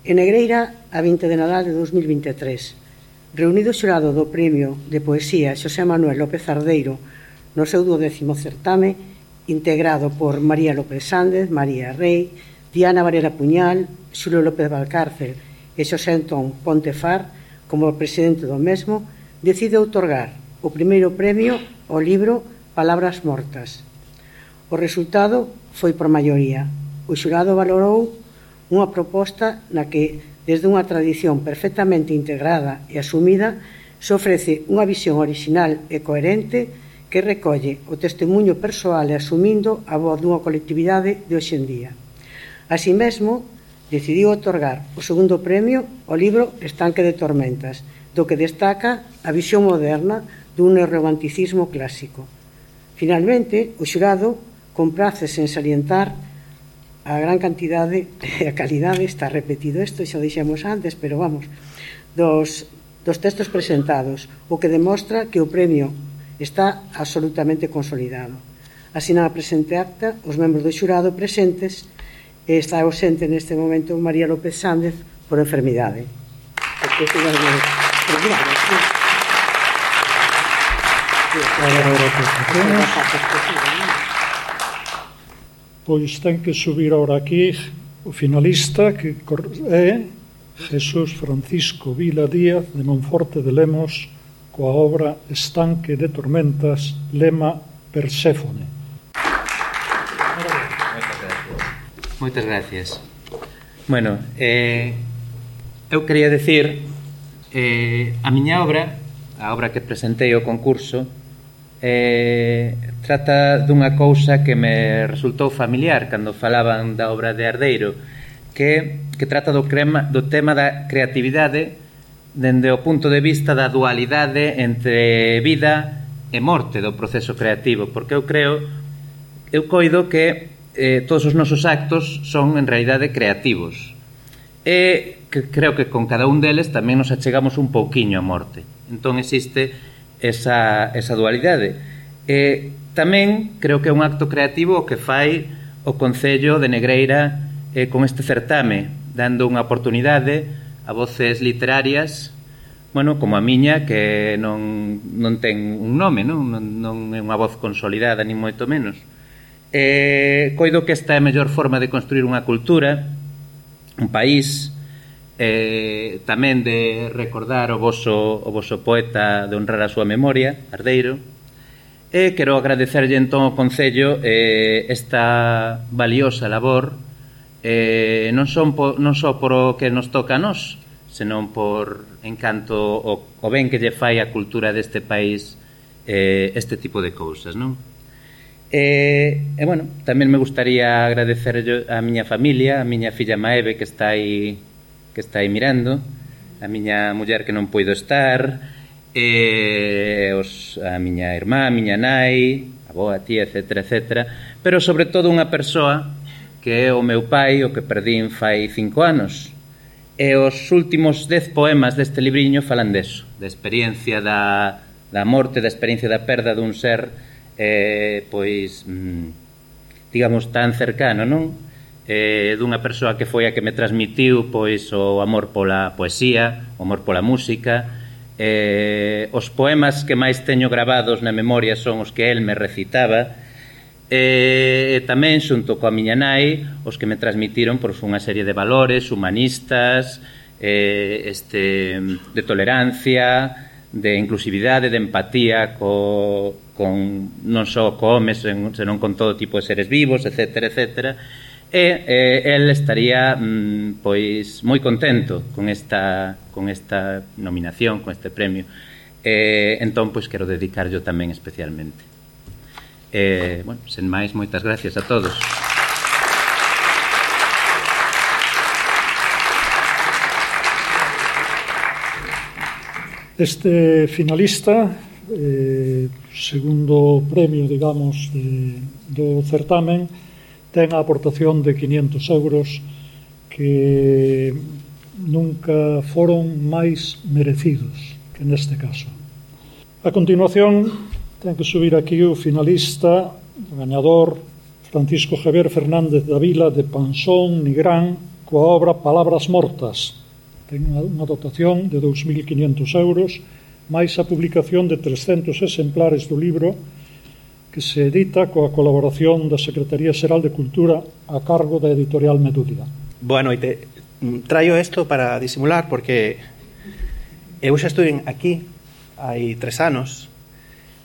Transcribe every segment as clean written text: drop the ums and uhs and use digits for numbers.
En Negreira, a 20 de Nadal de 2023, reunido o xurado do Premio de Poesía Xosé Manuel López Ardeiro no seu 12º certame, integrado por María López Sández, María Rey, Diana Varela Puñal, Xulio López Valcárcel e Xosé Antón Pontefar, como presidente do mesmo, decide outorgar o primeiro premio ao libro Palabras Mortas. O resultado foi por maioría. O xurado valorou unha proposta na que, desde unha tradición perfectamente integrada e asumida, se ofrece unha visión orixinal e coherente que recolle o testemunho persoal e asumindo a voz dunha colectividade de hoxe en día. Así mesmo, decidiu outorgar o segundo premio ao libro Estanque de Tormentas, do que destaca a visión moderna dun neorromanticismo clásico. Finalmente, o xurado comprácese en salientar a gran cantidade e a calidade, está repetido isto, xa o dixemos antes, pero vamos, dos textos presentados, o que demostra que o premio está absolutamente consolidado. Asinan a presente acta os membros do xurado presentes e está ausente neste momento María López Sández por enfermidade. Pois ten que subir ahora aquí o finalista, que é Jesús Francisco Vila Díaz de Monforte de Lemos, coa obra Estanque de Tormentas, lema Perséfone. Moitas gracias. Bueno, eu quería decir a miña obra, a obra que presentei ao concurso, trata dunha cousa que me resultou familiar cando falaban da obra de Ardeiro, que trata do tema da creatividade dende o punto de vista da dualidade entre vida e morte do proceso creativo, porque eu coido que todos os nosos actos son en realidade creativos e que creo que con cada un deles tamén nos achegamos un pouquiño á morte. Entón existe esa dualidade. Tamén creo que é un acto creativo o que fai o Concello de Negreira con este certame, dando unha oportunidade a voces literarias, bueno, como a miña, que non ten un nome, non é unha voz consolidada, ni moito menos. Coido que esta é a mellor forma de construir unha cultura, un país, tamén de recordar o voso poeta, de honrar a súa memoria, Ardeiro, e quero agradecerlle entón ao Concello esta valiosa labor, non só por o que nos toca a nós, senón por encanto o ben que lle fai a cultura deste país este tipo de cousas, non? Bueno, tamén me gustaría agradecer a miña familia, a miña filla Maeve que está aí mirando, a miña muller que non puido estar, a miña irmá, a miña nai, a boa, a tía, etcétera, pero sobre todo unha persoa que é o meu pai, o que perdín fai 5 anos, e os últimos 10 poemas deste libriño falan deso, da experiencia da morte, da experiencia da perda dun ser pois digamos tan cercano, non? Dunha persoa que foi a que me transmitiu pois o amor pola poesía, o amor pola música. Os poemas que máis teño gravados na memoria son os que el me recitaba, tamén xunto coa miña nai os que me transmitiron pois unha serie de valores humanistas, de tolerancia, de inclusividade, de empatía non só co home, senón con todo tipo de seres vivos, etcétera. El estaría pois moi contento con esta nominación, con este premio. Entón, pois quero dedicarlo tamén especialmente. Bueno, sen máis, moitas gracias a todos. Este finalista, segundo premio, digamos, do certamen, ten a aportación de 500 euros que nunca foron máis merecidos que neste caso. A continuación, ten que subir aquí o finalista, o gañador, Francisco Javier Fernández da Vila de Pansón, Nigrán, coa obra Palabras Mortas. Ten unha dotación de 2.500 euros, máis a publicación de 300 exemplares do libro que se edita coa colaboración da Secretaría Xeral de Cultura a cargo da editorial Medúlia. Boa noite. Traio isto para disimular porque eu xa estuve aquí hai 3 anos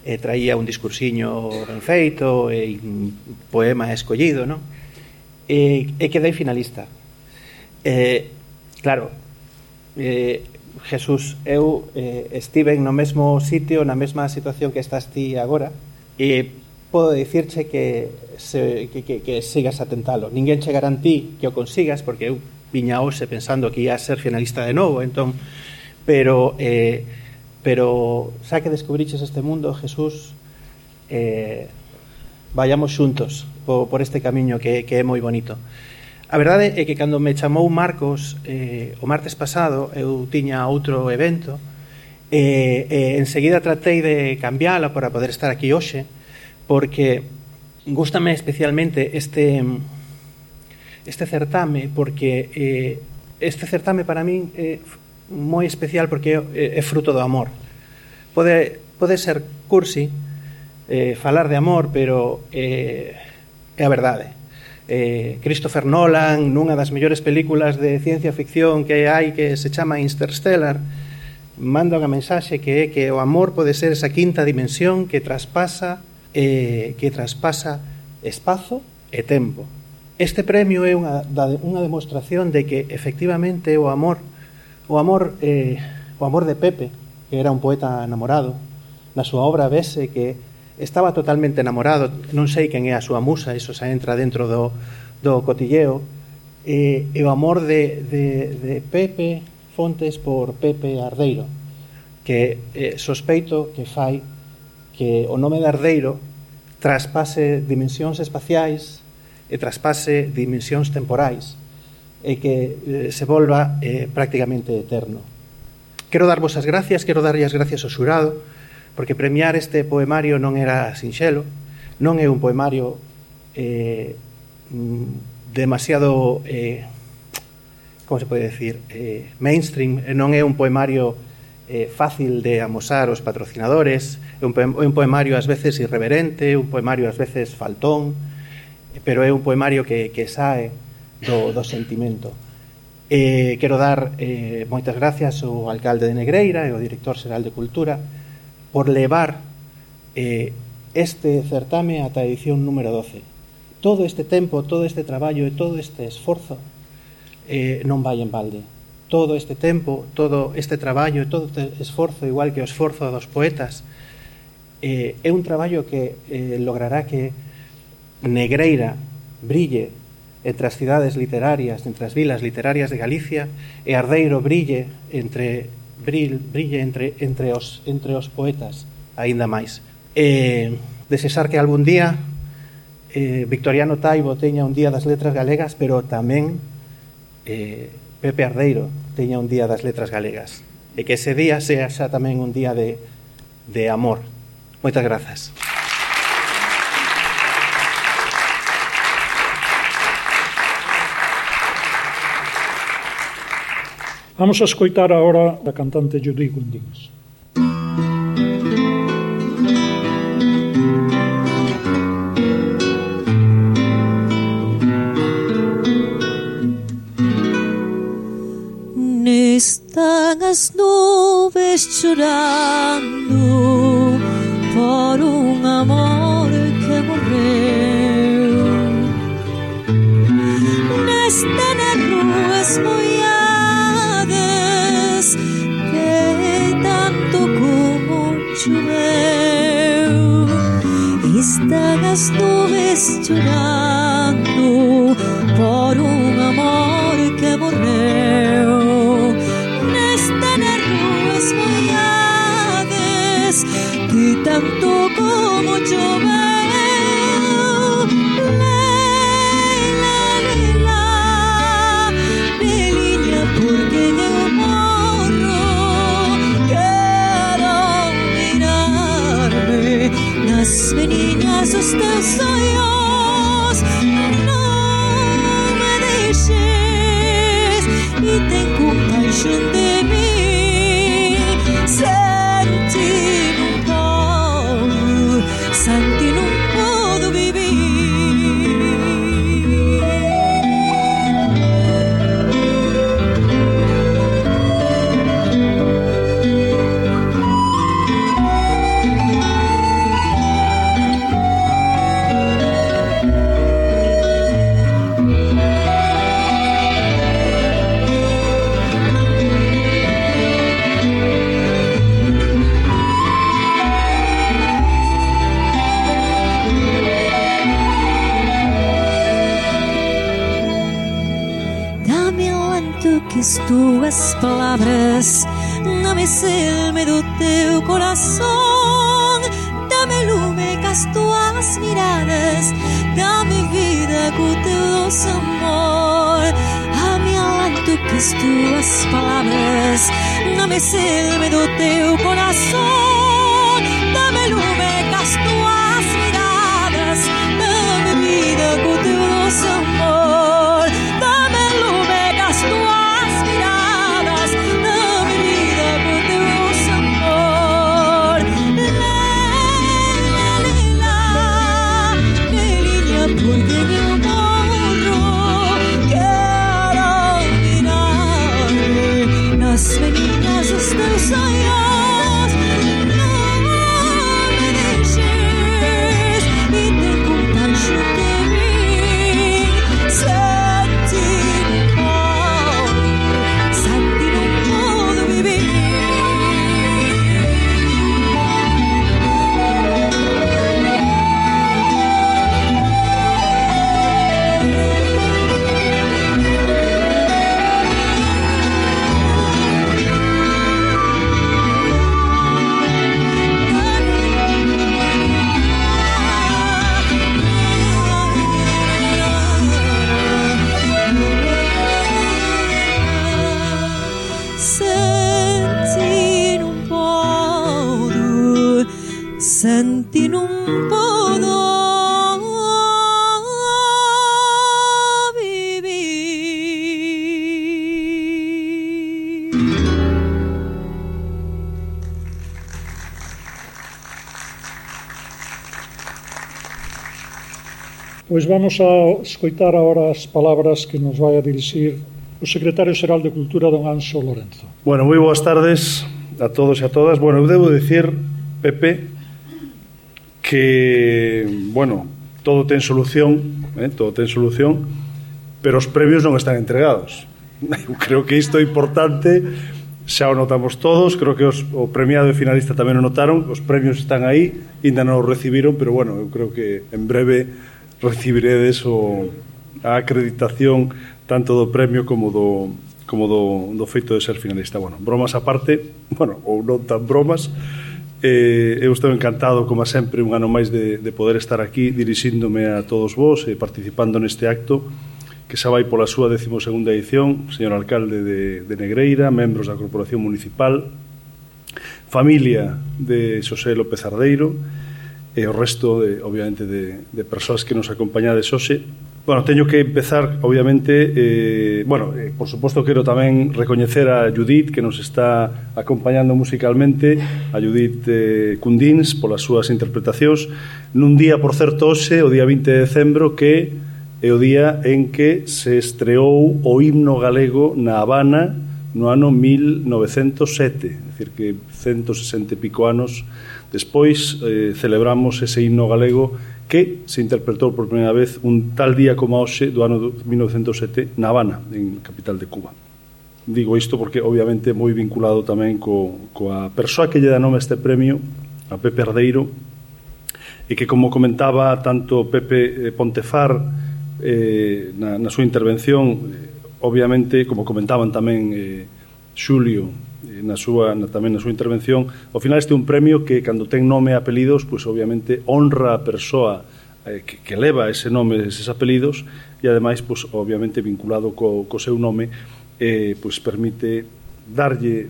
e traía un discursiño ben feito e un poema escollido, non? E quedei finalista. Claro, Jesús, eu estive no mesmo sitio, na mesma situación que estás ti agora, e podo dicirche que sigas a tentalo. Ninguén chegará en ti que o consigas, porque eu viña hoxe pensando que ia a ser finalista de novo, entón, pero xa que descubriches este mundo, Jesús, vayamos xuntos por este camiño que é moi bonito. A verdade é que cando me chamou Marcos o martes pasado, eu tiña outro evento e enseguida tratei de cambiala para poder estar aquí hoxe, porque gústame especialmente este certame, porque este certame para min é moi especial porque é fruto do amor. Pode ser cursi falar de amor, pero é a verdade. Christopher Nolan, nunha das mellores películas de ciencia ficción que hai, que se chama Interstellar, manda unha mensaxe que é que o amor pode ser esa quinta dimensión que traspasa espazo e tempo. Este premio é unha demostración de que efectivamente o amor de Pepe, que era un poeta enamorado, na súa obra vese que estaba totalmente enamorado. Non sei quen é a súa musa, iso xa entra dentro do cotilleo, e o amor de Pepe Fontes por Pepe Ardeiro, que sospeito que fai que o nome de Ardeiro traspase dimensións espaciais e traspase dimensións temporais e que se volva prácticamente eterno. Quero darvos as gracias, quero darlle as gracias ao xurado, porque premiar este poemario non era sinxelo, non é un poemario demasiado, como se pode decir, mainstream, non é un poemario fácil de amosar aos patrocinadores, é un poemario ás veces irreverente, un poemario ás veces faltón, pero é un poemario que sae do sentimento. Quero dar moitas gracias ao alcalde de Negreira e ao director xeral de Cultura por levar este certame ata a edición número 12. Todo este tempo, todo este traballo e todo este esforzo non vai en balde. Todo este tempo, todo este traballo e todo este esforzo, igual que o esforzo dos poetas, é un traballo que logrará que Negreira brille entre as cidades literarias, entre as vilas literarias de Galicia, e Ardeiro brille entre os poetas aínda máis. Desexar que algún día Victoriano Taibo teña un día das letras galegas, pero tamén Pepe Ardeiro teña un día das letras galegas, e que ese día sea xa tamén un día de amor. Moitas grazas. Vamos a escoitar agora a cantante Judy Gundins. Están as nubes chorando por un amor que morreu. Nesta nas ruas mollades que tanto como choveu. Están as nubes chorando por un amor que morreu. Que tanto como choveu. Leila, Leila, Beliña, porque eu morro. Quero mirarme nas meniñas dos teus ollos compaixón de min. Santi non podo vivir. Que as tuas palavras dame selme do teu coração, dame lume com as tuas miradas, dame vida com o teu doce amor. Dame alento que as tuas palavras dame selme do teu coração, dame lume com as tuas miradas, dame vida com o teu doce amor. Dame lume com as tuas as meninas dos teus sonhos, não me deixes e tem compaixão de mim. Santi não podo viver. Santi non podo vivir. Pois vamos a escoitar agora as palabras que nos vai a dirixir o secretario xeral de Cultura, don Anxo Lorenzo. Bueno, moi boas tardes a todos e a todas. Bueno, eu debo dicir, Pepe, que, bueno, todo ten solución, pero os premios non están entregados. Eu creo que isto é importante, xa o notamos todos, creo que o premiado e finalista tamén o notaron, os premios están aí, ainda non os recibiron, pero, bueno, eu creo que en breve recibiredes a acreditación tanto do premio como do feito de ser finalista. Bueno, bromas aparte, bueno, ou non tan bromas, eu estou encantado, como sempre, un ano máis de poder estar aquí dirixíndome a todos vos e participando neste acto que xa vai pola súa 12ª edición. Señor alcalde de Negreira, membros da Corporación Municipal, familia de Xosé López Ardeiro e o resto, obviamente, de persoas que nos acompañades hoxe. Bueno, teño que empezar, obviamente, por suposto, quero tamén recoñecer a Judith, que nos está acompañando musicalmente, a Judith Cundins, polas súas interpretacións, nun día, por certo, hoxe, o día 20 de decembro, que é o día en que se estreou o himno galego na Habana no ano 1907, é dicir, que 160 e pico anos despois celebramos ese himno galego que se interpretou por primeira vez un tal día como hoxe do ano 1907 na Habana, en capital de Cuba. Digo isto porque obviamente moi vinculado tamén coa persoa que lle dá nome a este premio, a Pepe Ardeiro, e que, como comentaba tanto Pepe Pontefar na súa intervención, obviamente, como comentaban tamén Xulio tamén na súa intervención, ao final este é un premio que, cando ten nome e apelidos, pois obviamente honra a persoa que leva ese nome, eses apelidos, e ademais, pois obviamente vinculado co seu nome, pois permite darlle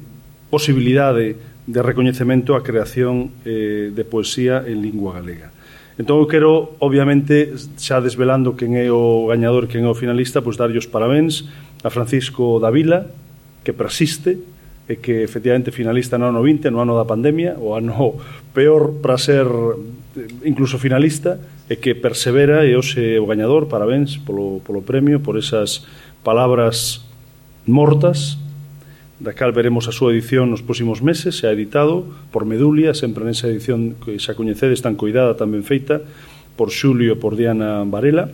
posibilidade de recoñecemento á creación de poesía en lingua galega. Entón eu quero, obviamente, xa desvelando quen é o gañador, quen é o finalista, pois darlle os parabéns a Francisco Davila, que persiste e que efectivamente finalista no ano 20, no ano da pandemia, o ano peor para ser incluso finalista, e que persevera e hoxe o gañador. Parabéns polo premio, por esas palabras mortas, da cal veremos a súa edición nos próximos meses. Se ha editado por Medulia, sempre nesa edición que xa coñecedes, tan coidada, tan ben feita, por Xulio e por Diana Varela.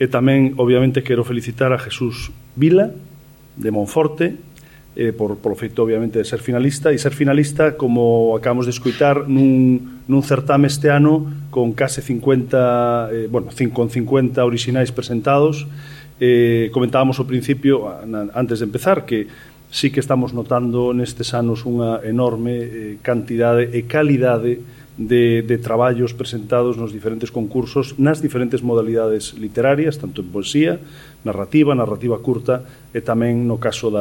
E tamén, obviamente, quero felicitar a Jesús Vila, de Monforte, polo feito, obviamente, de ser finalista, e ser finalista, como acabamos de escoitar, nun certame este ano con case 50 orixinais presentados. Comentábamos ao principio, antes de empezar, que sí que estamos notando nestes anos unha enorme cantidade e calidade de traballos presentados nos diferentes concursos, nas diferentes modalidades literarias, tanto en poesía, narrativa curta, e tamén no caso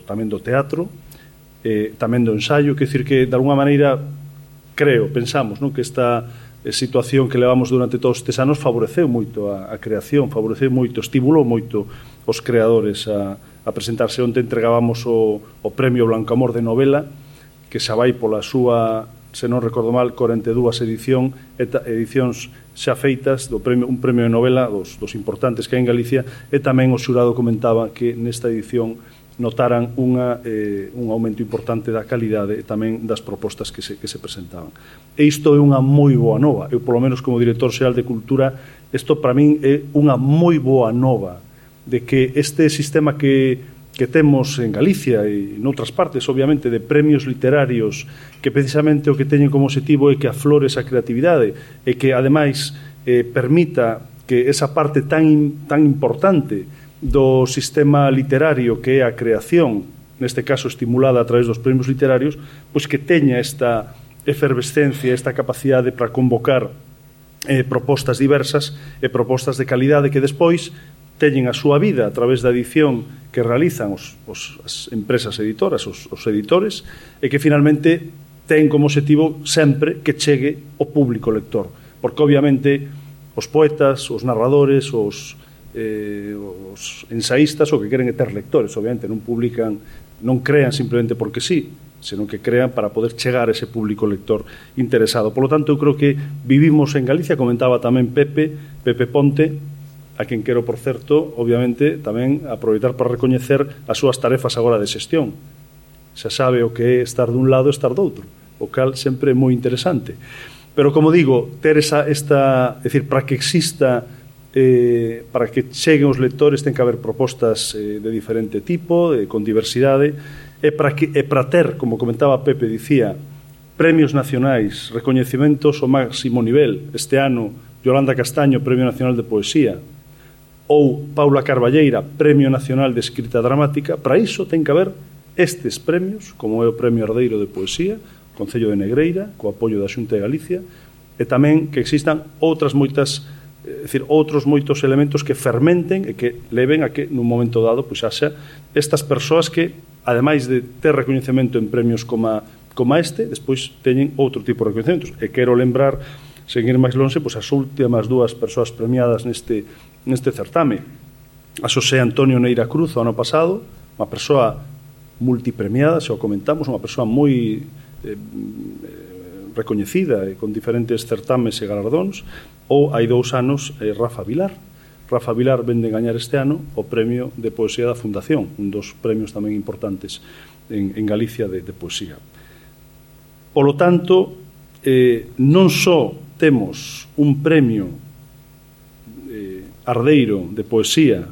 tamén do teatro, tamén do ensaio. Quer dicir que, de alguna maneira, pensamos, non, que esta situación que levamos durante todos estes anos favoreceu moito a creación, favoreceu moito, estimulou moito os creadores a presentarse. Onte entregábamos o Premio Blancamor de novela, que xa vai pola súa, se non recordo mal, 42 edicións xa feitas un premio de novela dos importantes que hai en Galicia, e tamén o xurado comentaba que nesta edición notaran un aumento importante da calidade e tamén das propostas que se presentaban. E isto é unha moi boa nova. Eu, polo menos, como director xeral de Cultura, isto para min é unha moi boa nova, de que este sistema que temos en Galicia e noutras partes, obviamente, de premios literarios, que precisamente o que teñen como objetivo é que aflore esa creatividade e que, ademais, permita que esa parte tan importante do sistema literario, que é a creación, neste caso estimulada a través dos premios literarios, pois que teña esta efervescencia, esta capacidade para convocar propostas diversas e propostas de calidade que despois teñen a súa vida a través da edición que realizan as empresas editoras, os editores, e que finalmente ten como objetivo sempre que chegue ao público lector, porque obviamente os poetas, os narradores, os ensaístas o que queren é ter lectores. Obviamente non crean simplemente porque sí, senón que crean para poder chegar a ese público lector interesado. Por lo tanto, eu creo que vivimos en Galicia, comentaba tamén Pepe Ponte, a quen quero, por certo, obviamente, tamén aproveitar para recoñecer as súas tarefas agora de xestión. Xa sabe o que é estar dun lado e estar do outro, o cal sempre é moi interesante. Pero, como digo, ter é dicir, para que exista, para que cheguen os lectores, ten que haber propostas de diferente tipo, con diversidade, e para ter, como comentaba Pepe, dicía, premios nacionais, recoñecimentos ao máximo nivel. Este ano, Yolanda Castaño, Premio Nacional de Poesía, ou Paula Carballeira, Premio Nacional de Escrita Dramática. Para iso ten que haber estes premios, como é o Premio Ardeiro de Poesía, Concello de Negreira, co apoio da Xunta de Galicia, e tamén que existan outros moitos elementos que fermenten e que leven a que nun momento dado pois haxa estas persoas que, ademais de ter recoñecemento en premios como este, despois teñen outro tipo de recoñecementos. E quero lembrar, seguir máis longe, pois as últimas dúas persoas premiadas neste certame. A Xosé Antonio Neira Cruz, o ano pasado, unha persoa multipremiada, xa o comentamos, unha persoa moi recoñecida e con diferentes certames e galardóns. Ou hai 2 anos, Rafa Vilar. Rafa Vilar vende gañar este ano o Premio de Poesía da Fundación, un dos premios tamén importantes en Galicia de poesía. Polo tanto, non só temos un premio ardeiro de poesía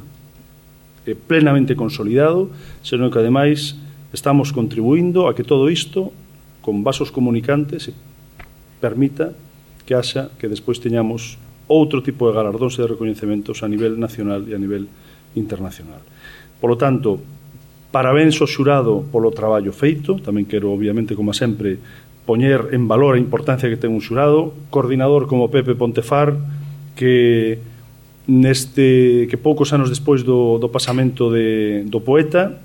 plenamente consolidado, senón que, ademais, estamos contribuindo a que todo isto, con vasos comunicantes, permita que haxa que despois teñamos outro tipo de galardóns e de recoñecementos a nivel nacional e a nivel internacional. Por lo tanto, parabéns ao xurado polo traballo feito. Tamén quero, obviamente, como sempre, poñer en valor a importancia que ten un xurado, coordinador como Pepe Pontefar, que poucos anos despois do pasamento do poeta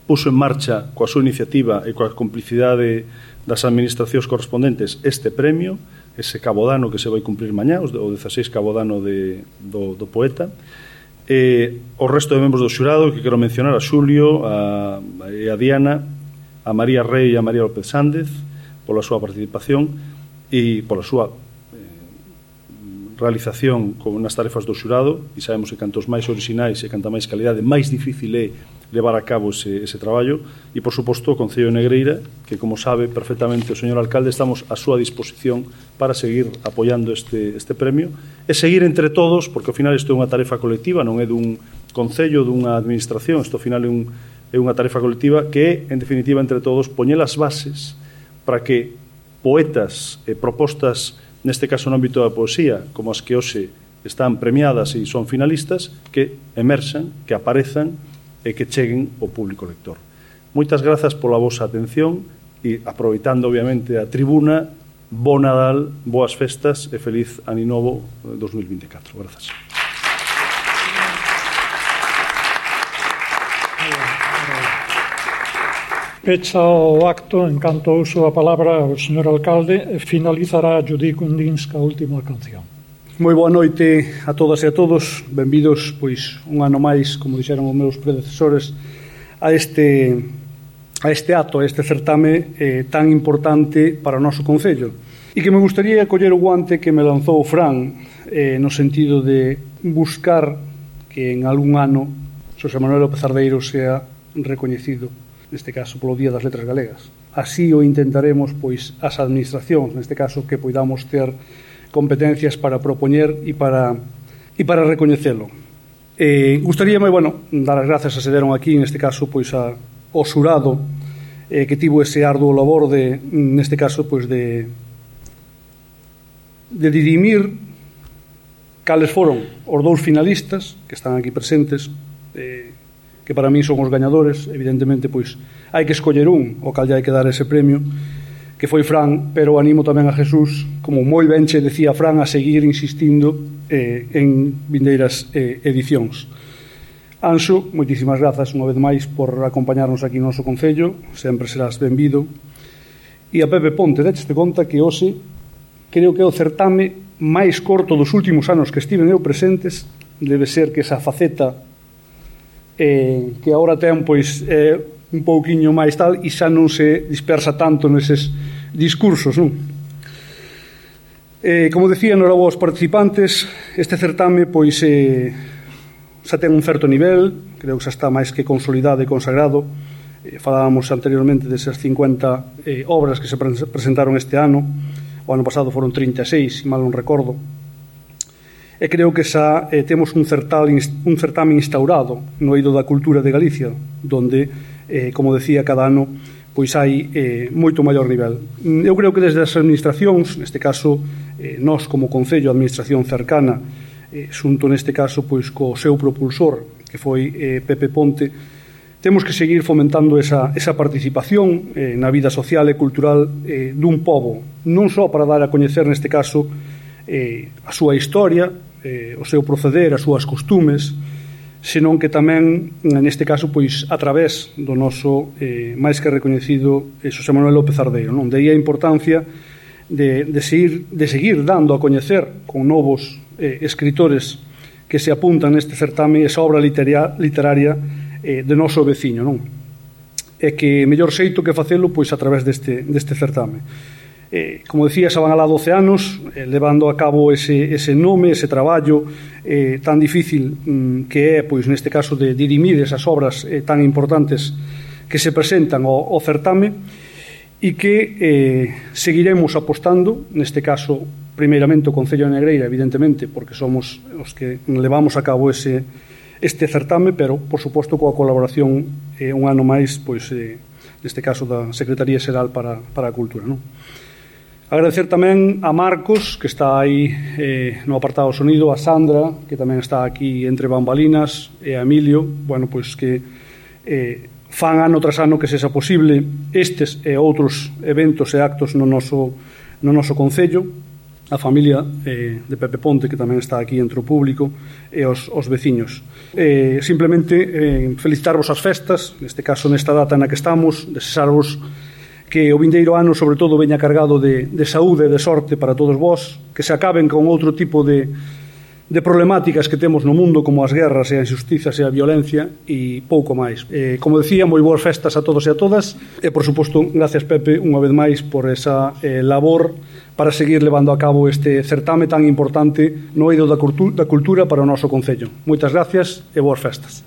puxo en marcha coa súa iniciativa e coa complicidade das administracións correspondentes este premio, ese cabodano que se vai cumprir mañá, o 16 cabodano do poeta, O resto de membros do xurado que quero mencionar, a Xulio, a Diana, a María Rey e a María López Sández pola súa participación e pola súa realización nas tarefas do xurado, e sabemos que cantos máis orixinais e canta máis calidade, máis difícil é levar a cabo ese traballo. E, por suposto, o Concello de Negreira, que, como sabe perfectamente o señor alcalde, estamos a súa disposición para seguir apoiando este premio e seguir entre todos, porque ao final isto é unha tarefa colectiva, non é dun concello, dunha administración, isto ao final é unha tarefa colectiva que é, en definitiva, entre todos, poñer as bases para que poetas e propostas, neste caso no ámbito da poesía, como as que hoxe están premiadas e son finalistas, que emerxan, que aparezan e que cheguen ao público lector. Moitas grazas pola vosa atención e, aproveitando obviamente a tribuna, bo Nadal, boas festas e feliz Ano Novo 2024. Grazas. Pecha o acto, en canto uso a palabra o señor alcalde, e finalizará Judí Kundinska a última canción. Moi boa noite a todas e a todos, benvidos pois un ano máis, como dixeron os meus predecesores, a este acto, a este certame tan importante para o noso concello. E que me gustaría coller o guante que me lanzou o Fran no sentido de buscar que en algún ano Xosé Manuel López Ardeiro sea recoñecido, neste caso polo Día das Letras Galegas. Así o intentaremos pois as administracións, neste caso, que poidamos ter competencias para propoñer e para recoñecelo. Gustaríame, dar as grazas a se deron aquí, neste caso, pois ao xurado que tivo ese arduo labor neste caso, pois de dirimir cales foron os dous finalistas que están aquí presentes, que para mí son os gañadores. Evidentemente, pois hai que escoller un, o cal hai que dar ese premio, que foi Fran, pero animo tamén a Jesús, como moi ben che decía Fran, a seguir insistindo en vindeiras edicións. Anxo, moitísimas grazas unha vez máis por acompañarnos aquí no noso concello, sempre serás benvido. E a Pepe Ponte, decheste conta que hoxe creo que é o certame máis corto dos últimos anos que estiven eu presentes. Debe ser que esa faceta que agora ten pois un pouquiño máis tal e xa non se dispersa tanto neses discursos, non? Como decía, enhorabuena aos participantes. Este certame pois xa ten un certo nivel, creo que xa está máis que consolidado e consagrado. Falábamos anteriormente desas 50 obras que se presentaron este ano. O ano pasado foron 36, se mal non recordo. E creo que xa temos un certame instaurado no eido da cultura de Galicia, donde, como decía, cada ano pois hai moito maior nivel. Eu creo que desde as administracións, neste caso nós como Concello, a administración cercana, xunto neste caso pois co seu propulsor, que foi Pepe Ponte, temos que seguir fomentando esa participación na vida social e cultural dun pobo, non só para dar a coñecer neste caso a súa historia, o seu proceder, as súas costumes, senón que tamén, neste caso, pois a través do noso máis que recoñecido Xosé Manuel López Ardeiro, non? De aí a importancia de seguir dando a coñecer con novos escritores que se apuntan neste certame esa obra literaria de noso veciño, non? E que mellor xeito que facelo pois a través deste certame. Como decía, xa van alá 12 anos levando a cabo ese nome, ese traballo tan difícil que é, pois neste caso, de dirimir esas obras tan importantes que se presentan ao certame, e que seguiremos apostando, neste caso, primeiramente o Concello de Negreira, evidentemente, porque somos os que levamos a cabo este certame, pero, por suposto, coa colaboración un ano máis, pois, neste caso, da Secretaría Xeral para a Cultura, non? Agradecer tamén a Marcos, que está aí no apartado sonido, a Sandra, que tamén está aquí entre bambalinas, e a Emilio, pois que fan ano tras ano que sexa posible estes e outros eventos e actos no noso concello, a familia de Pepe Ponte, que tamén está aquí entre o público, e os veciños. Simplemente felicitarvos as festas, neste caso nesta data na que estamos, desexarvos que o vindeiro ano, sobre todo, veña cargado de saúde e de sorte para todos vós, que se acaben con outro tipo de de problemáticas que temos no mundo, como as guerras e a injustizas e a violencia, e pouco máis. Como decía, moi boas festas a todos e a todas, e, por suposto, gracias, Pepe, unha vez máis, por esa labor para seguir levando a cabo este certame tan importante no eido da cultura para o noso Concello. Moitas gracias e boas festas.